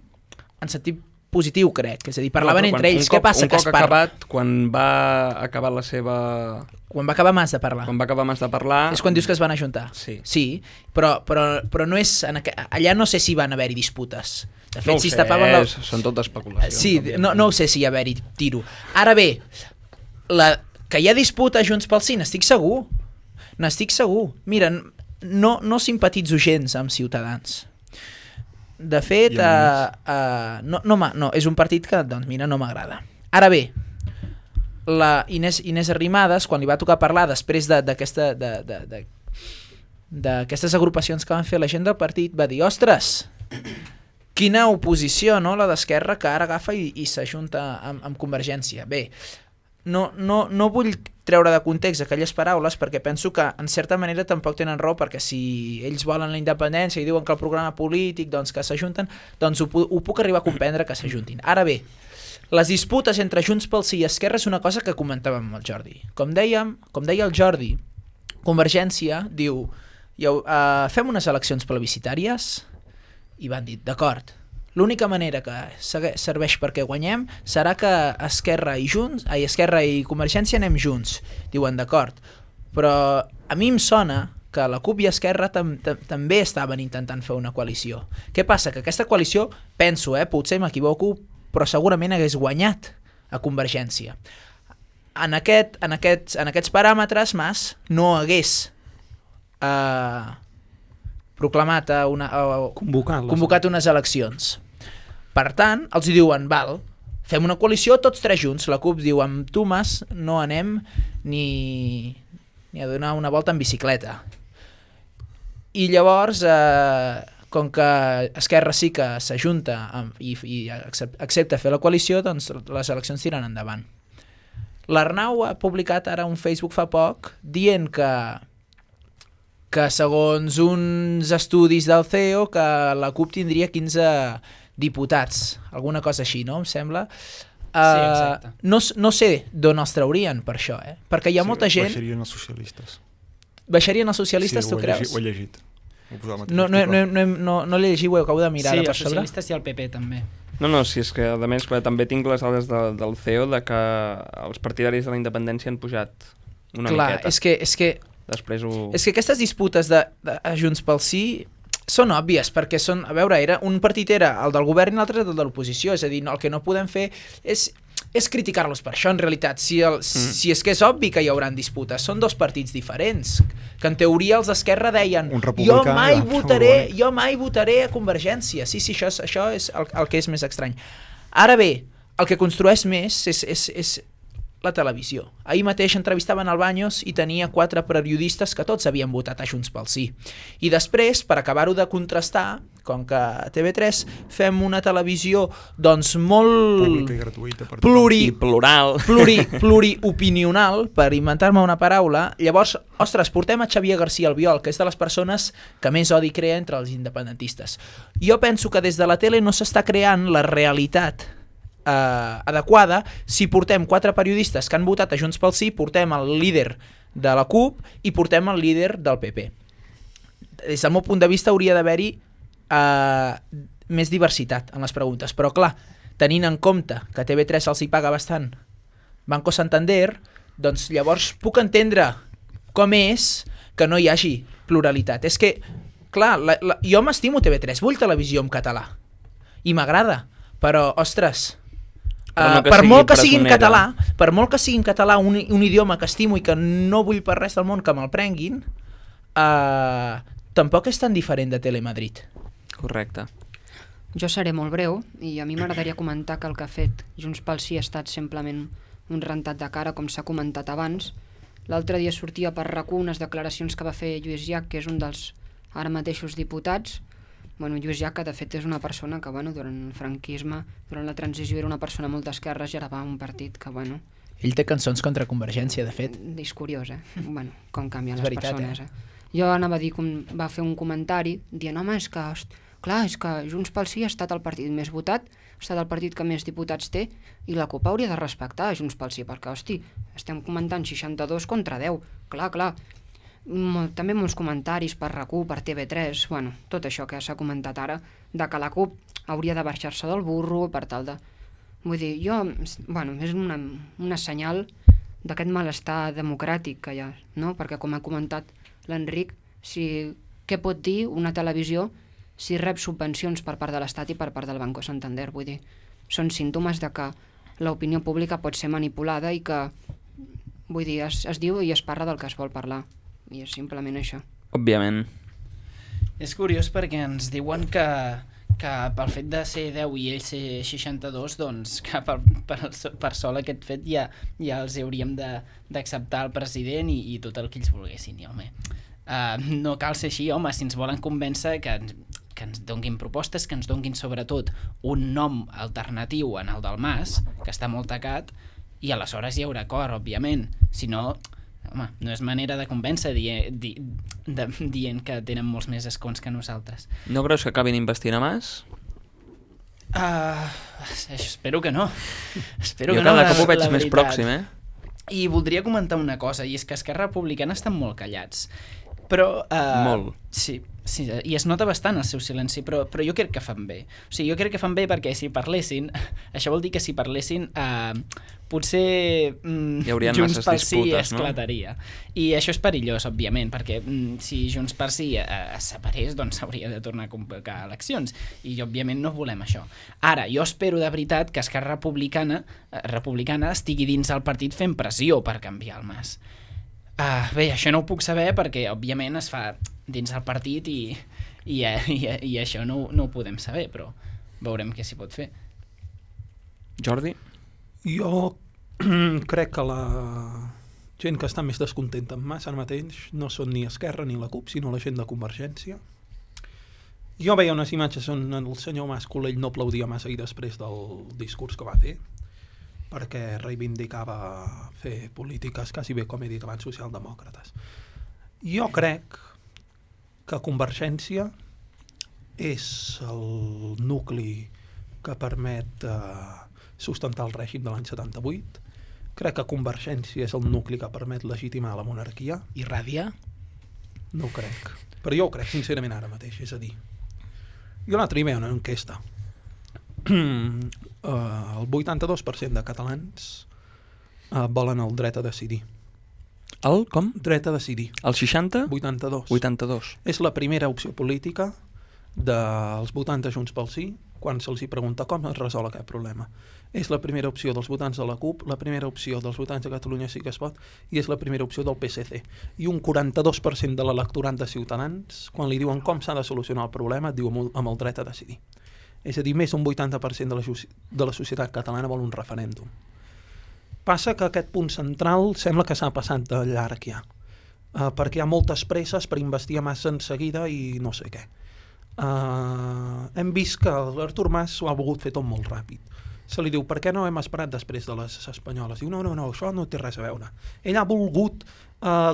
en sentit positiu, crec. És a dir, parlaven entre ells. Què passa? Un cop acabat, quan va acabar la seva... Quan va acabar Mas de parlar. Quan va acabar Mas de parlar... És quan dius que es van ajuntar. Sí, però no és... Allà no sé si van haver-hi disputes. De fet, no si es tapaven... Són tot especulacions. Sí, no ho sé si hi ha haver-hi tiro. Ara bé, que hi ha disputa a Junts pel Sí, n'estic segur. Mira, no simpatitzo gens amb Ciutadans. De fet, no, és un partit que, doncs mira, no m'agrada. Ara bé, la Inés Arrimadas, quan li va tocar parlar després d'aquestes agrupacions que van fer la gent del partit, va dir, ostres, quina oposició, no?, la d'Esquerra, que ara agafa i s'ajunta amb Convergència. Bé, no vull treure de context aquelles paraules perquè penso que en certa manera tampoc tenen raó, perquè si ells volen la independència i diuen que el programa polític doncs que s'ajunten, doncs ho puc arribar a comprendre que s'ajuntin. Ara bé, les disputes entre Junts pel Sí i Esquerra és una cosa que comentàvem amb el Jordi. Com deia el Jordi, Convergència diu fem unes eleccions plebiscitàries i van dir, d'acord, l'única manera que serveix perquè guanyem serà que Esquerra i Convergència anem junts. Diuen, d'acord, però a mi em sona que la CUP i Esquerra també estaven intentant fer una coalició. Què passa? Que aquesta coalició, penso, potser m'equivoco, però segurament hagués guanyat a Convergència. En aquests paràmetres, Mas no hagués proclamat convocat unes eleccions. Per tant, els diuen, val, fem una coalició tots tres junts. La CUP diu, amb tu, Mas, no anem ni a donar una volta en bicicleta. I llavors, com que Esquerra sí que s'ajunta i accepta fer la coalició, doncs les eleccions tiren endavant. L'Arnau ha publicat ara un Facebook fa poc dient que segons uns estudis del CEO que la CUP tindria 15 diputats, alguna cosa així, no? Em sembla. Sí, exacte. No sé d'on els traurien per això, perquè hi ha molta gent... Baixarien els socialistes. Baixarien els socialistes, tu creus? Ho he llegit. No l'he llegit, ho acabo de mirar. Sí, els socialistes i el PP també. No, si és que a més també tinc les dades del CEO de que els partidaris de la independència han pujat una miqueta. Clar, és que després és que aquestes disputes de Junts pel Sí són òbvies, perquè són, a veure, un partit era el del govern i l'altre el de l'oposició, és a dir, el que no podem fer és criticar-los per això, en realitat. Si és que és obvi que hi haurà disputes, són dos partits diferents, que en teoria els d'Esquerra deien jo mai votaré a Convergència. Sí, això és el que és més estrany. Ara bé, el que construeix més és la televisió. Ahir mateix entrevistaven al Baños i tenia 4 periodistes que tots havien votat a Junts pel Sí. I després, per acabar-ho de contrastar, com que a TV3 fem una televisió doncs molt... pública i gratuïta per tothom. Pluriopinional, per inventar-me una paraula, llavors, ostres, portem a Xavier García Albiol, que és de les persones que més odi crea entre els independentistes. Jo penso que des de la tele no s'està creant la realitat adequada. Si portem 4 periodistes que han votat a Junts pel Sí, portem el líder de la CUP i portem el líder del PP. Des del meu punt de vista hauria d'haver-hi més diversitat en les preguntes, però clar, tenint en compte que TV3 els hi paga bastant Banco Santander, doncs llavors puc entendre com és que no hi hagi pluralitat. És que, clar, jo m'estimo TV3, vull televisió en català i m'agrada, però, ostres, per molt que sigui en català, un idioma que estimo i que no vull per res del món que me'l prenguin, tampoc és tan diferent de Telemadrid. Correcte. Jo seré molt breu i a mi m'agradaria comentar que el que ha fet Junts pel Sí ha estat simplement un rentat de cara, com s'ha comentat abans. L'altre dia sortia per RAC1 unes declaracions que va fer Lluís Llach, que és un dels ara mateixos diputats. Bueno, Lluís Llach, que de fet és una persona que, durant el franquisme, durant la transició, era una persona molt d'esquerres i ara va a un partit que, Ell té cançons contra Convergència, de fet. És curiós, com canvien És les veritat, persones. Jo anava a dir, va fer un comentari dient, home, és que Junts pel Sí ha estat el partit més votat, ha estat el partit que més diputats té, i la CUP hauria de respectar Junts pel Sí, perquè, estem comentant 62 contra 10. Clar. També molts comentaris per RAC1, per TV3, tot això que s'ha comentat ara, de que la CUP hauria de baixar-se del burro per tal de... Vull dir, és una senyal d'aquest malestar democràtic que hi ha, no? Perquè, com ha comentat l'Enric, què pot dir una televisió si rep subvencions per part de l'Estat i per part del Banco Santander? Vull dir, són símptomes de que l'opinió pública pot ser manipulada i que, es diu i es parla del que es vol parlar. I és simplement això. Òbviament. És curiós perquè ens diuen que pel fet de ser 10 i ell ser 62, doncs que per sol aquest fet ja els hauríem d'acceptar el president i tot el que ells volguessin. I, home, no cal ser així, home, si ens volen convèncer que ens donguin propostes, que ens donguin sobretot un nom alternatiu en el del Mas, que està molt tacat, i aleshores hi haurà acord, òbviament. Si no, home, no és manera de convèncer dient que tenen molts més escons que nosaltres. No creus que acabin investint a Mas? Espero que no. Jo cada cop ho veig més pròxim, I voldria comentar una cosa, i és que Esquerra Republicana estan molt callats. Però... Molt. Sí, i es nota bastant el seu silenci, però jo crec que fan bé. O sigui, jo crec que fan bé perquè si parlessin, això vol dir que si parlessin, potser Junts pel Sí esclataria. No? I això és perillós, òbviament, perquè si Junts pel Sí es separés, doncs s'hauria de tornar a convocar eleccions, i òbviament no volem això. Ara, jo espero de veritat que Esquerra Republicana estigui dins el partit fent pressió per canviar el Mas. Bé, això no ho puc saber perquè, òbviament, es fa dins el partit i això no ho podem saber, però veurem què s'hi pot fer. Jordi? Jo crec que la gent que està més descontenta amb Mas ara mateix no són ni Esquerra ni la CUP, sinó la gent de Convergència. Jo veia unes imatges on el senyor Mas Colell no aplaudia massa ahir després del discurs que va fer, perquè reivindicava fer polítiques quasi bé, com he dit abans, socialdemòcrates. Jo crec que Convergència és el nucli que permet sustentar el règim de l'any 78. Crec que Convergència és el nucli que permet legitimar la monarquia. I Ràdia? No ho crec. Però jo ho crec, sincerament, ara mateix. És a dir, jo l'altre dia veia una enquesta. El 82% de catalans volen el dret a decidir. El com? Dret a decidir. El 60? 82. 82. És la primera opció política dels votants de Junts pel Sí quan se'ls pregunta com es resol aquest problema. És la primera opció dels votants de la CUP, la primera opció dels votants de Catalunya Sí que es pot i és la primera opció del PSC. I un 42% de l'electorat de Ciutadans, quan li diuen com s'ha de solucionar el problema, diu amb el dret a decidir. És a dir, més d'un 80% de la societat catalana vol un referèndum. Passa que aquest punt central sembla que s'ha passat de llarg ja, perquè hi ha moltes presses per investir a Mas en seguida i no sé què. Hem vist que l'Artur Mas ho ha volgut fer tot molt ràpid. Se li diu, per què no hem esperat després de les espanyoles? Diu, no, això no té res a veure. Ell ha volgut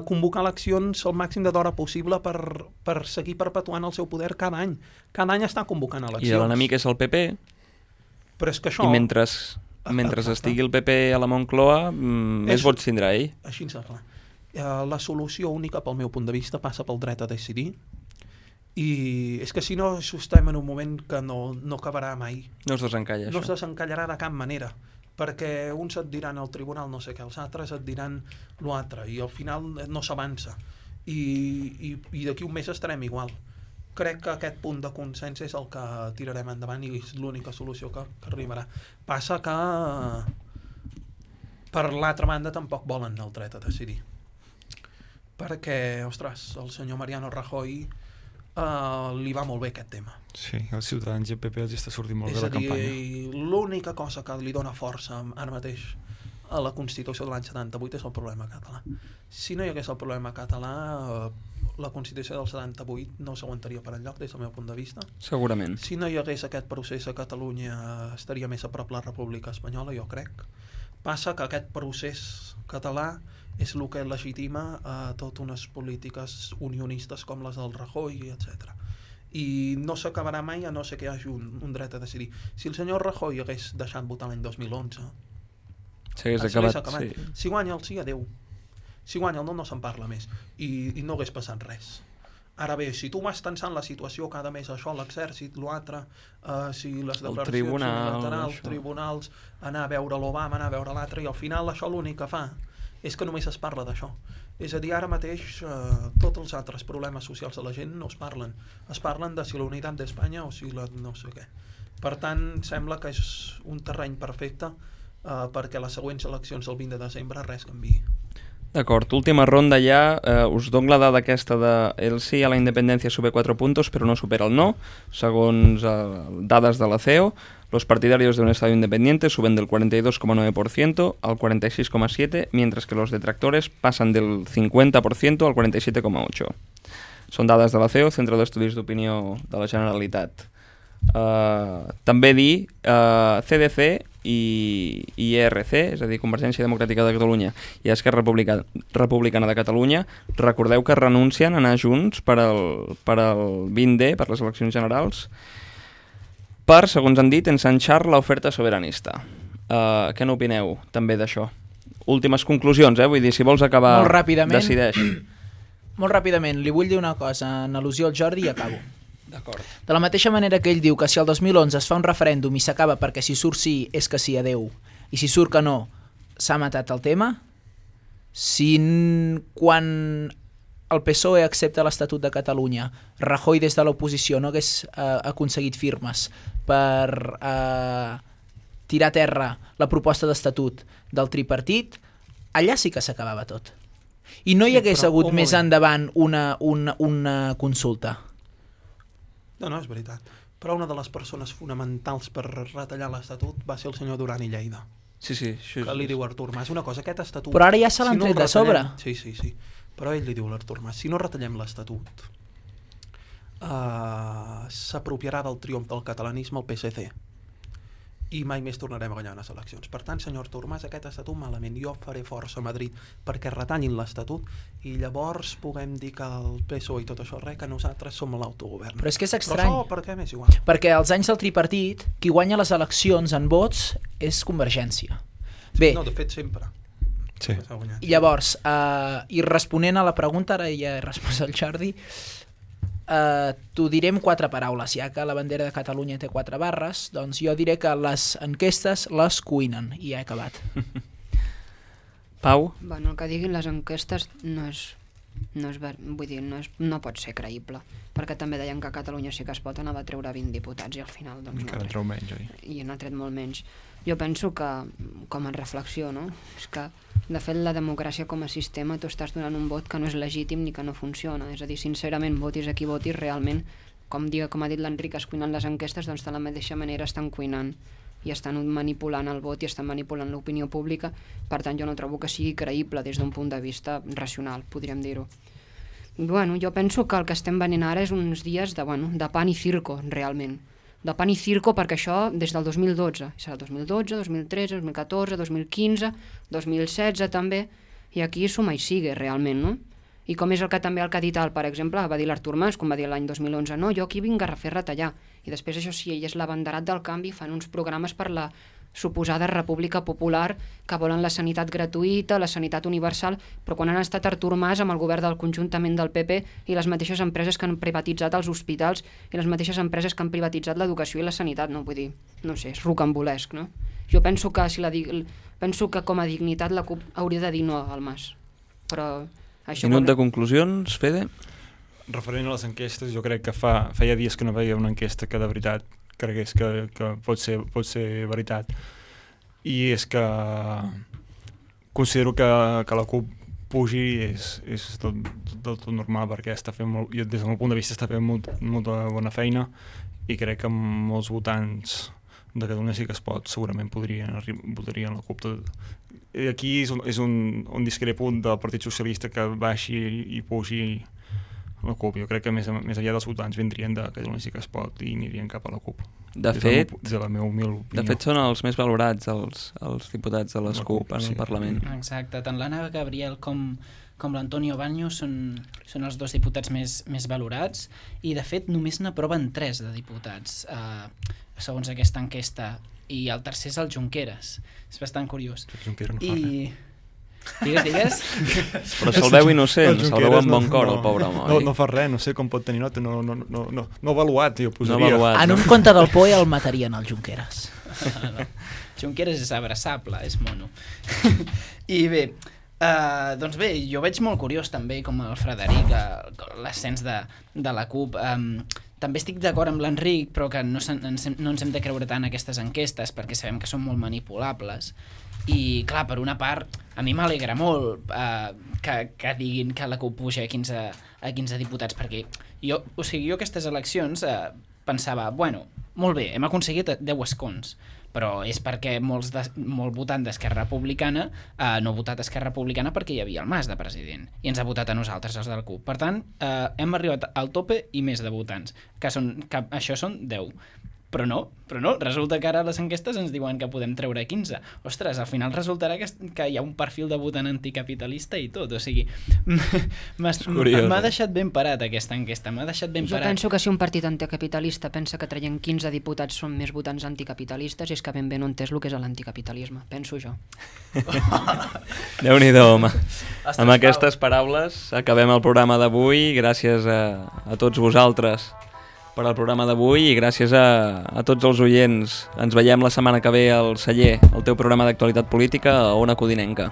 convocar eleccions el màxim d'hora possible per seguir perpetuant el seu poder cada any. Cada any està convocant eleccions. I l'enemic és el PP. Però és que això... I mentre estigui el PP a la Moncloa, més vots tindrà ell. Així és clar. La solució única, pel meu punt de vista, passa pel dret a decidir. I és que si no estem en un moment que no acabarà mai. No es desencalla, no això. No es desencallarà de cap manera, perquè uns et diran al tribunal no sé què, els altres et diran l'altre, i al final no s'avança. I d'aquí un mes estarem igual. Crec que aquest punt de consens és el que tirarem endavant i és l'única solució que arribarà. Passa que per l'altra banda tampoc volen el dret a decidir. Perquè, ostres, el senyor Mariano Rajoy li va molt bé aquest tema. Sí, els Ciutadans i el PP els està sortint molt bé la campanya. És a dir, l'única cosa que li dona força ara mateix a la Constitució de l'any 78 és el problema català. Si no hi hagués el problema català, la Constitució del 78 no s'aguantaria per enlloc des del meu punt de vista. Segurament. Si no hi hagués aquest procés a Catalunya, estaria més a prop la República Espanyola, jo crec. Passa que aquest procés català és el que legitima totes unes polítiques unionistes com les del Rajoy, etc. I no s'acabarà mai a no ser que hi hagi un dret a decidir. Si el senyor Rajoy hagués deixat votar l'any 2011, s'hagués acabat. Sí. Si guanya el sí, adeu. Si guanya el no se'n parla més. I no hagués passat res. Ara bé, si tu vas tensant la situació cada mes, això, l'exèrcit, l'altre, si les declaracions unilaterals, tribunals, anar a veure l'Obama, anar a veure l'altre, i al final això l'únic que fa és que només es parla d'això. És a dir, ara mateix tots els altres problemes socials de la gent no es parlen. Es parlen de si la unitat d'Espanya o si la no sé què. Per tant, sembla que és un terreny perfecte perquè les següents eleccions del 20 de desembre res canviï. D'acord, última ronda ja, us dono la dada aquesta de el sí a la independència sube 4 puntos però no supera el no, segons dades de la CEO. Los partidarios de un Estado independiente suben del 42,9% al 46,7%, mientras que los detractores pasan del 50% al 47,8%. Són dades de la CEO, Centre d'Estudis d'Opinió de la Generalitat. També dir CDC i ERC, és a dir, Convergència Democràtica de Catalunya i Esquerra Republicana de Catalunya, recordeu que renuncien a anar junts per al 20D, per les eleccions generals, per, segons han dit, ensanxar l'oferta sobiranista. Què n'opineu també d'això? Últimes conclusions, vull dir, si vols acabar, molt ràpidament, decideix. Molt ràpidament, li vull dir una cosa en al·lusió al Jordi i acabo. D'acord. De la mateixa manera que ell diu que si el 2011 es fa un referèndum i s'acaba perquè si surt sí és que sí, adeu, i si surt que no s'ha matat el tema, si quan el PSOE accepta l'Estatut de Catalunya, Rajoy des de l'oposició no hagués aconseguit firmes per tirar a terra la proposta d'estatut del tripartit, allà sí que s'acabava tot. I no hi hagués hagut més endavant una consulta. No, és veritat. Però una de les persones fonamentals per retallar l'Estatut va ser el senyor Duran i Lleida. Sí. Que li diu Artur Mas. Una cosa, aquest Estatut... Però ara ja se l'han tret de sobre. Sí. Però ell li diu l'Artur Mas, si no retallem l'Estatut, s'apropiarà del triomf del catalanisme el PSC. I mai més tornarem a guanyar les eleccions. Per tant, senyor Artur Mas, aquest estatut malament. Jo faré força a Madrid perquè retallin l'estatut i llavors puguem dir que el PSOE i tot això que nosaltres som l'autogovern. Però és que és estrany. Però això per què m'és igual? Perquè als anys del tripartit, qui guanya les eleccions en vots és Convergència. Bé, no, de fet, sempre. Sí. I llavors, i responent a la pregunta, ara ja he respost al Jordi, t'ho diré en 4 paraules, ja que la bandera de Catalunya té 4 barres, doncs jo diré que les enquestes les cuinen, i ja he acabat. Pau? Bueno, el que diguin les enquestes no pot ser creïble, perquè també deien que a Catalunya sí que es pot, anava a treure 20 diputats i al final doncs, encara treu menys, oi? I n'ha tret molt menys. Jo penso que, com a reflexió, no? És que de fet la democràcia com a sistema tu estàs donant un vot que no és legítim ni que no funciona, és a dir, sincerament, votis a qui votis, realment, com ha dit l'Enric, es cuinen les enquestes, doncs de la mateixa manera estan cuinant i estan manipulant el vot i estan manipulant l'opinió pública. Per tant, jo no trobo que sigui creïble des d'un punt de vista racional, podríem dir-ho. Bueno, jo penso que el que estem venint ara és uns dies de pan i circo, realment. De pan i circo, perquè això des del 2012, serà el 2012, 2013, 2014, 2015, 2016 també, i aquí suma i sigue realment, no? I com és el que també el que ha dit per exemple, va dir l'Artur Mas, com va dir l'any 2011, no, jo aquí vinc a fer retallar. I després això sí, ell és l'abanderat del canvi, fan uns programes per la suposada república popular que volen la sanitat gratuïta, la sanitat universal, però quan han estat Artur Mas amb el govern del conjuntament del PP i les mateixes empreses que han privatitzat els hospitals i les mateixes empreses que han privatitzat l'educació i la sanitat, no? Vull dir, no sé, és rocambolesc, no? Jo penso que, penso que com a dignitat la CUP hauria de dir no al Mas, però... Minut de conclusions, Fede? Referent a les enquestes, jo crec que feia dies que no veia una enquesta que de veritat cregués que pot ser veritat. I és que considero que la CUP pugi és tot normal, perquè està fent des del meu punt de vista està fent molta bona feina, i crec que molts votants de Catalunya Sí que es pot segurament votarien la CUP. I aquí és un discrepo del Partit Socialista que baixi i pugi la CUP. Jo crec que més enllà dels votants vindrien de Catalunya Sí que es pot i anirien cap a la CUP. De fet, la meva humil opinió. De fet són els més valorats els diputats de les CUP en el Parlament. Exacte, tant l'Anna Gabriel com l'Antonio Baños són els dos diputats més valorats, i de fet només n'aproven 3 de diputats segons aquesta enquesta, i el tercer és el Junqueras. És bastant curiós. El Junqueras no fa res. Digues. Però se'l veu innocent, se'l veu amb bon cor, el pobre home. No fa res, no sé com pot tenir nota, no avaluat, jo posaria. No avaluat, en un conte del POE el matarien, el Junqueras. Junqueras és abraçable, és mono. I bé, doncs bé, jo veig molt curiós també com el Frederic, l'ascens de la CUP. També estic d'acord amb l'Enric, però que no ens hem de creure tant aquestes enquestes, perquè sabem que són molt manipulables. I clar, per una part, a mi m'alegra molt que diguin que la CUP puja a 15 diputats, perquè jo aquestes eleccions pensava, bueno, molt bé, hem aconseguit 10 escons, però és perquè molt votant d'Esquerra Republicana no ha votat Esquerra Republicana perquè hi havia el Mas de president, i ens ha votat a nosaltres, els del CUP. Per tant, hem arribat al tope i més de votants, que això són 10. Però no, resulta que ara les enquestes ens diuen que podem treure 15. Ostres, al final resultarà que hi ha un perfil de votant anticapitalista i tot, o sigui, m'ha deixat ben parat aquesta enquesta, Jo penso que si un partit anticapitalista pensa que traient 15 diputats són més votants anticapitalistes, és que ben bé no entès el que és l'anticapitalisme, penso jo. Déu-n'hi-do, home. Amb aquestes paraules acabem el programa d'avui. Gràcies a tots vosaltres per al programa d'avui, i gràcies a tots els oients. Ens veiem la setmana que ve al Celler, el teu programa d'actualitat política a Ona Codinenca.